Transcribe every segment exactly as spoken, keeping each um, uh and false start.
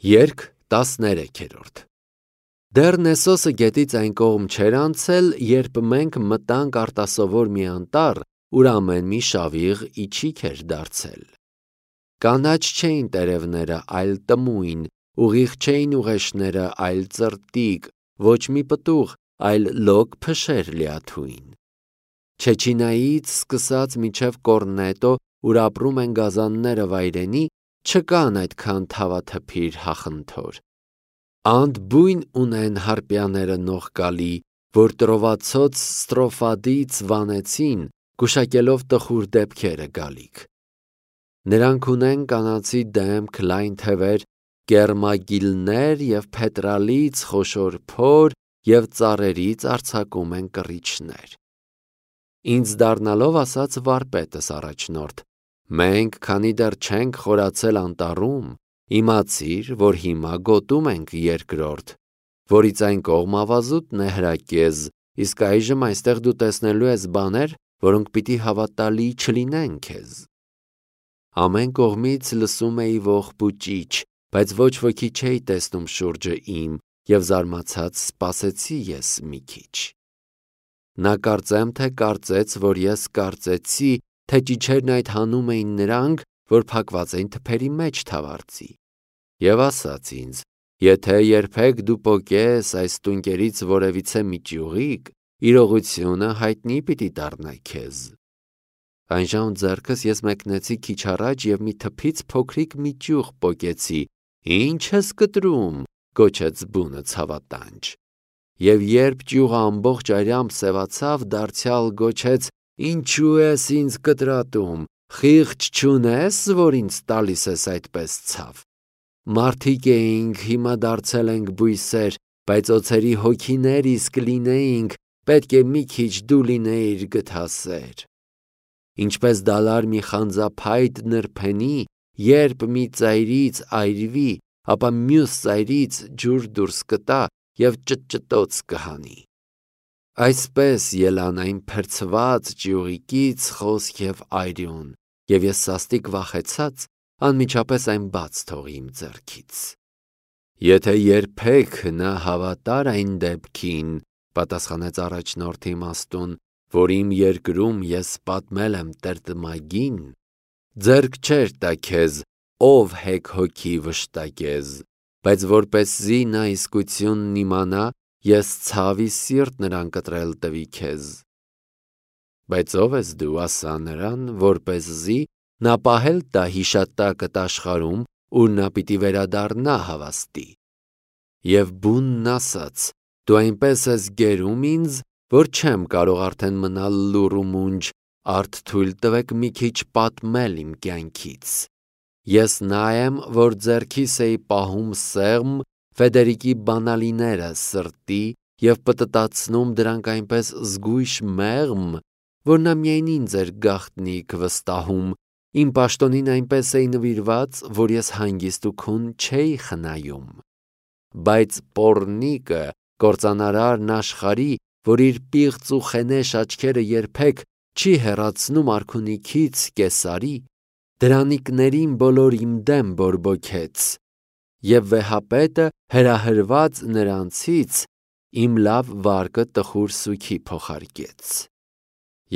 Երգ տասներեքերորդ Դեռ Նեսոսը գետից այն կողմ չէր անցել, երբ մենք մտանք արտասովոր մի անտառ, ուր ամեն մի շավիղ իջիկ էր դարձել։ Կանաչ չէին տերևները, այլ տմույն, ուղիղ չէին ուղեշները, այլ ծրտիկ, ոչ մի պտուղ, այլ լոկ փշեր լիաթույն։ Չեչինայից սկսած մինչև Կորնետո, ուր ապրում են գազանները վայրենի, չկան այդքան թավաթփիր հախնթոր։ Անդ բույն ունեն հարպյաները նողկալի, որ տրովացոց Ստրոֆադից վանեցին, գուշակելով տխուր դեպքերը գալիք։ Նրանք ունեն կանացի դեմք, լայն թևեր, կեռմագիլներ և փետրալից խոշոր փոր և ծառերից արձակում են կռիչներ։ Ինձ դառնալով ասաց վարպետս առաջնորդ. մենք, քանի դեռ չենք խորացել անտառում, իմացիր, որ հիմա գոտում ենք երկրորդ, որից այն կողմ ավազուտն է հրակեզ, իսկ այժմ այստեղ դու տեսնելու ես բաներ, որոնք պիտի հավատալի չլինեն քեզ։ Ամեն կողմից լսում էի ողբուճիչ, բայց ոչ ոքի չէի տեսնում շուրջը իմ, և զարմացած սպասեցի ես մի քիչ։ Նա կարծեմ թե կարծեց, որ ես կարծեցի, թե ճիչերն այդ հանում էին նրանք, որ փակված էին թփերի մեջ թավարձի։ Եվ ասաց ինձ. եթե երբեք դու պոկես այս տունկերից որևիցե մի ճյուղիկ, իրողությունը հայտնի պիտի դառնա քեզ։ Այնժամ ձեռքս ես մեկնեցի քիչ առաջ և մի թփից փոքրիկ մի ճյուղ պոկեցի։ Ի՞նչ ես կտրում, գոչեց բունը ցավատանջ։ Եվ երբ ճյուղը ամբողջ արյամբ սևացավ, դարձյալ գոչեց. ինչու ես ինձ կտրատում, խիղճ չունես, որ ինձ տալիս ես այդպես ցավ։ Մարդիկ էինք, հիմա դարձել ենք բույսեր, բայց օձերի հոգիներ իսկ լինեինք, պետք է մի քիչ դու լինեիր գթասեր։ Ինչպես դալար մի խանձափայտ նրբենի, երբ մի ծայրից այրվի, ապա մյուս ծայրից ջուր դուրս կտա և ճտճտոց կհանի։ Այսպես ելան այն փրցված ճյուղիկից խոսք և այրյուն, և ես սաստիկ վախեցած, անմիջապես այն բաց թողի իմ ձեռքից։ Եթե երբեք նա հավատար այն դեպքին, պատասխանեց առաջնորդը իմաստուն, որ իմ երկրում ես պատմել եմ տրտմագին, ձեռք չէր տա քեզ, ով հեգ-հոգի վշտակեզ, բայց որպեսզի նա իսկությունն իմանա, ես ցավի սիրտ նրան կտրել տվի քեզ։ Բայց ո՞վ ես դու, ասա նրան, որպեսզի նա պահել տա հիշատակդ աշխարհում, ուր նա պիտի վերադառնա հավաստի։ Եվ բունն ասաց. դու այնպես ես գերում ինձ, որ չեմ կարող արդեն մնալ լուռ ու մունջ, արդ թույլ տվեք մի քիչ պատմել իմ կյանքից։ Ես նա եմ, որ ձեռքիս էի պահում սեղմ Ֆեդերիկի բանալիները սրտի և պտտացնում դրանք այնպես զգույշ մեղմ, որ նա միայն ինձ էր գաղտնիք վստահում, իմ պաշտոնին այնպես էի նվիրված, որ ես հանգիստ ու քուն չէի խնայում։ Բայց պոռնիկը, կործանարարն աշխարհի, որ իր պիղծ ու խենեշ աչքերը երբեք չի հեռացնում արքունիքից կեսարի, դրանիկներին բոլոր իմ դեմ բորբոքեց, և վեհապետը հրահրված նրանցից իմ լավ վարկը տխուր սուգի փոխարկեց։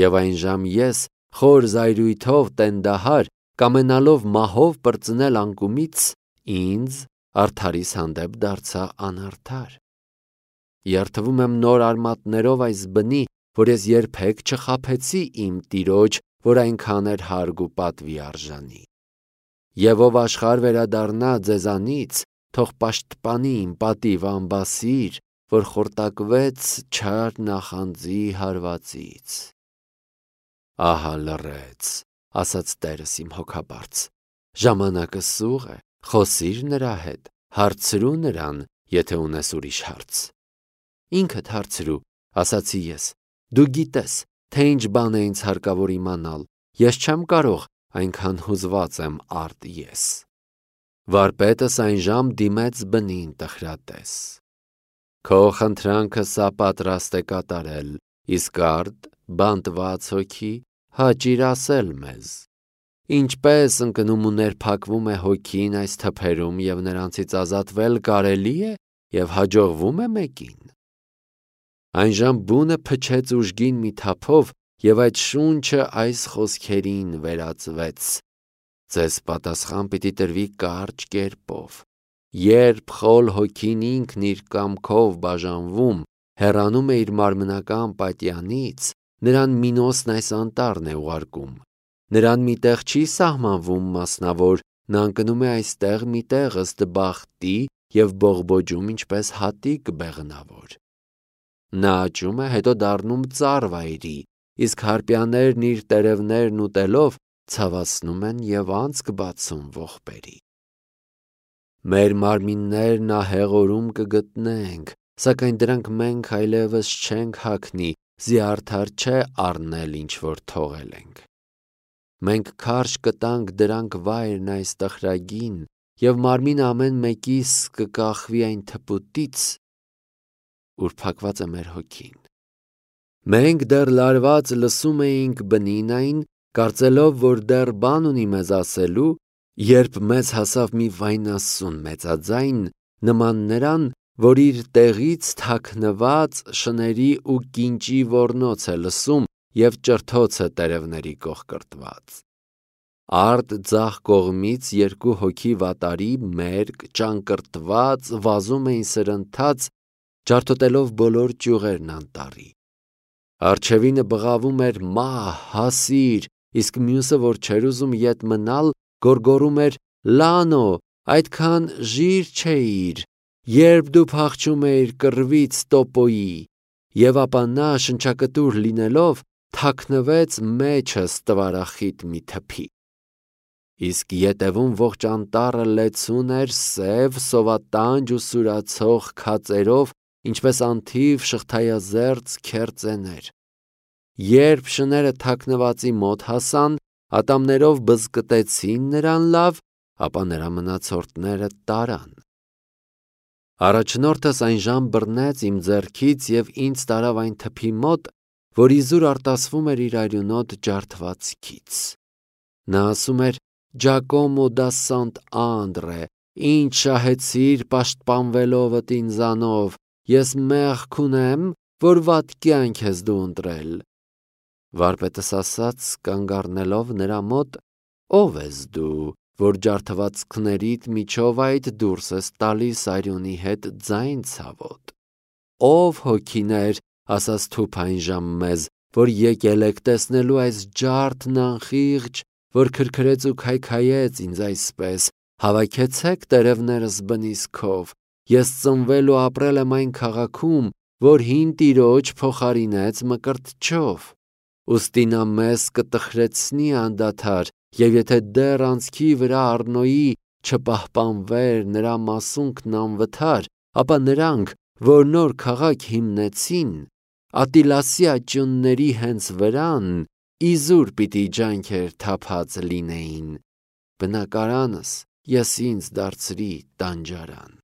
Եվ այնժամ ես, խոր զայրույթով տենդահար, կամենալով մահով պրծնել անկումից, ինձ արդարիս հանդեպ դարձա անարդար։ Երդվում եմ նոր արմատներով այս բնի, որ ես երբեք չխաբեցի իմ տիրոջ, որ այնքան էր հարգ ու պատվի արժանի։ Եվ ով աշխարհ վերադառնա ձեզանից, թող պաշտպանի իմ պատիվ անբասիր, որ խորտակվեց չար նախանձի հարվածից։ Ահա լռեց, ասաց տերս իմ հոգաբարձ, ժամանակը սուղ է, խոսիր նրա հետ, հարցրու նրան, եթե ունես ուրիշ հարց։ Ինքդ հարցրու, ասացի ես, դու գիտես, թե ինչ բան է ինձ հարկավոր իմանալ, ես չեմ կարող, այնքան հուզված եմ արդ ես։ Վարպետս այնժամ դիմեց բնին տխրատես. Քո խնդրանքը սա պատրաստ է կատարել, իսկ արդ, բանտված հոգի, հաճիր ասել մեզ։ Ինչպես ընկնում ու ներփակվում է հոգին այս թփերում և նրանցից ազատվել կարելի է և հաջողվում է մեկին։ Այնժամ բունը փչեց ուժգին մի թափով և այդ շունչը այս խոսքերին վերածվեց. «Ձեզ պատասխան պիտի տրվի կարճ կերպով։ Երբ խոլ հոգին ինքն իր կամքով բաժանվում, հեռանում է իր մարմնական պատյանից, նրան Մինոսն այս անտառն է ուղարկում։ Նրան մի տեղ չի սահմանվում մասնավոր, նա ընկնում է այստեղ մի տեղ ըստ բախտի և բողբոջում ինչպես հատիկ բեղնավոր։ Նա աճում է, հետո դառնում ծառ վայրի, իսկ հարպյաներն իր տերևներն ուտելով ցավացնում են և անցք բացում ողբերի։ Մեր մարմիններն ահեղ օրում կգտնենք, սակայն դրանք մենք այլևս չենք հագնի, զիարդար չէ առնել, ինչ որ թողել ենք։ Մենք քարշ կտանք դրանք վայրն այս տխրագին, և մարմին ամեն մեկիս կկախվի այն թփուտից, ուր փակված է մեր հոգին։ Մենք դեռ լարված լսում էինք բնին այն, կարծելով, որ դեռ բան ունի մեզ ասելու, երբ մեզ հասավ մի վայնասուն մեծաձայն, նման նրան, որ իր տեղից թաքնված շների ու կինճի ոռնոց է լսում և ճրթոցը տերևների կողկրտված։ Արդ ձախ կողմից երկու հոգի վատարի, մերկ, ճանկռտված, վազում էին սրընթաց, ջարդոտելով բոլոր ճյուղերն անտառի։ Առջևինը բղավում էր «մահ, հասիր», իսկ մյուսը, որ չէր ուզում ետ մնալ, գոռգոռում էր. «Լանո, այդքան ժիր չէիր, երբ դու փախչում էիր կռվից տոպոյի», և ապա նա, շնչակտուր լինելով, թաքնվեց մեջս տվարախիտ մի թփի։ Իսկ ետևում ողջ անտառը լեցուն էր սև, սովատանջ ու սուրացող քածերով, ինչպես անթիվ շղթայազերծ քերծեներ։ Երբ շները թաքնվածի մոտ հասան, ատամներով բզկտեցին նրան լավ, ապա նրա մնացորդները տարան։ Առաջնորդս այնժամ բռնեց իմ ձեռքից և ինձ տարավ այն թփի մոտ, որ իզուր արտասվում էր իր արյունոտ ջարդվածքից։ Նա ասում էր. «Ջակոմո դա Սանտ Անդրե, ինչ շահեցիր պաշտպանվելովդ ինձանով, ես մեղք ունեմ, որ վատ կյանք ես դու ընտրել»։ Վարպետս ասաց, կանգ առնելով նրա մոտ. «Ո՞վ ես դու, որ ջարդվածքներիդ միջով այդ դուրս ես տալիս արյունի հետ ձայն ցավոտ։ Ո՞վ հոգիներ, ասաց թուփ այնժամ մեզ, որ եկել եք տեսնելու այս ջարդն անխիղճ, որ քրքրեց ու քայքայեց ինձ այսպես, հավաքեցեք տերևներս բնիս քով, ես ծնվել ու ապրել եմ այն քաղաքում, որ հին տիրոջ փոխարինեց Մկրտչով։ Ուստի նա մեզ կտխրեցնի անդադար, և եթե դեռ անցքի վրա առնոյի չպահպանվեր նրա մասունքն անվթար, ապա նրանք, որ նոր քաղաք հիմնեցին, Ատիլասի աճյունների հենց վրան, իզուր պիտի ջանքեր թափած լինեին, բնակարանս ես ինձ դարձրի տանջարան»։